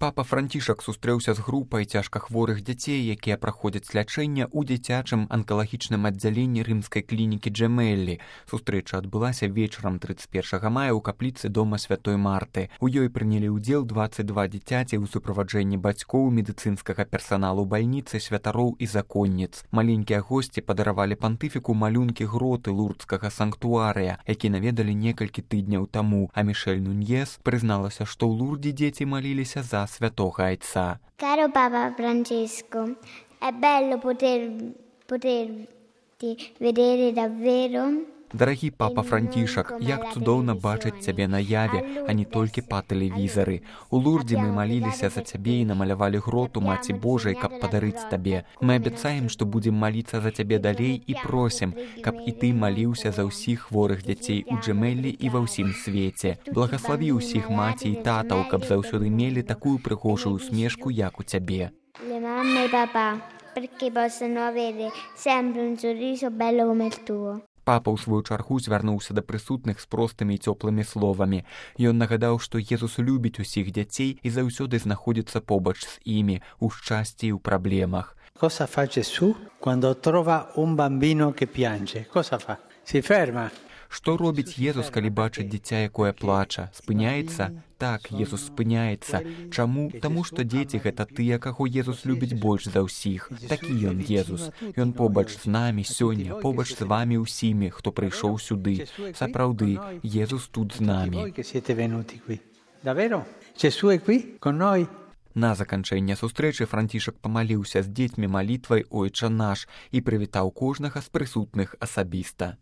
Папа Францішак сустрэўся з групай цяжкахворых дзяцей, якія праходзяць лячэнне ў дзіцячым анкалагічным аддзяленні рымскай клінікі Джемеллі. Сустрэча адбылася вечарам 31 мая ў капліцы дома Святой Марты. У ёй прынялі ўдзел 22 дзіцяці ў суправаджэнні бацькоў, медыцынскага персаналу бальніцы, святароў і законніц. Маленькія госці падаравалі пантыфіку малюнкі гроты лурдскага санктуарыя, які наведалі некалькі тыдняў таму, а Мішель Нуньес прызналася, што ў Лурдзе дзеці маліліся за святого Айца. Caro Papa Francesco, è bello poterti vedere davvero. Дарагі папа Францішак, як цудоўна бачыць цябе на яве, а не толькі па тэлевізары. У Лурдзе мы маліліся за цябе і намалявалі гроту Маці Божай, каб падарыць табе. Мы абяцаем, што будзем маліцца за цябе далей і просім, каб і ты маліўся за ўсіх хворых дзяцей у Джемеллі і ва ўсім свеце. Благаславі ўсіх маці і татаў, каб заўсёды мелі такую прыгожую усмешку, як у цябе. Le mamme e papà, perché possano avere sempre un sorriso bello come il tuo. Папа ў сваю чаргу звярнуўся да прысутных з простымі і цёплымі словамі. Ён нагадаў, што Езус любіць усіх дзяцей і заўсёды знаходзіцца побач з імі, у шчасці і ў праблемах. Cosa fa Gesù quando trova un bambino che piange? Cosa fa? Si ferma. Што робіць Езус, калі бачыць дзіця, якое плача? Спыняецца? Так, Езус спыняецца. Чаму? Таму што дзеці гэта тыя, каго Езус любіць больш за ўсіх. Такі ён, Езус. Ён побач з намі сёння, побач з вамі ўсімі, хто прыйшоў сюды. Сапраўды, Езус тут з намі. На заканчэнне сустрэчы Францішак памаліўся з дзецьмі малітвай «Ойча наш» і прывітаў кожнага з прысутных асабіста.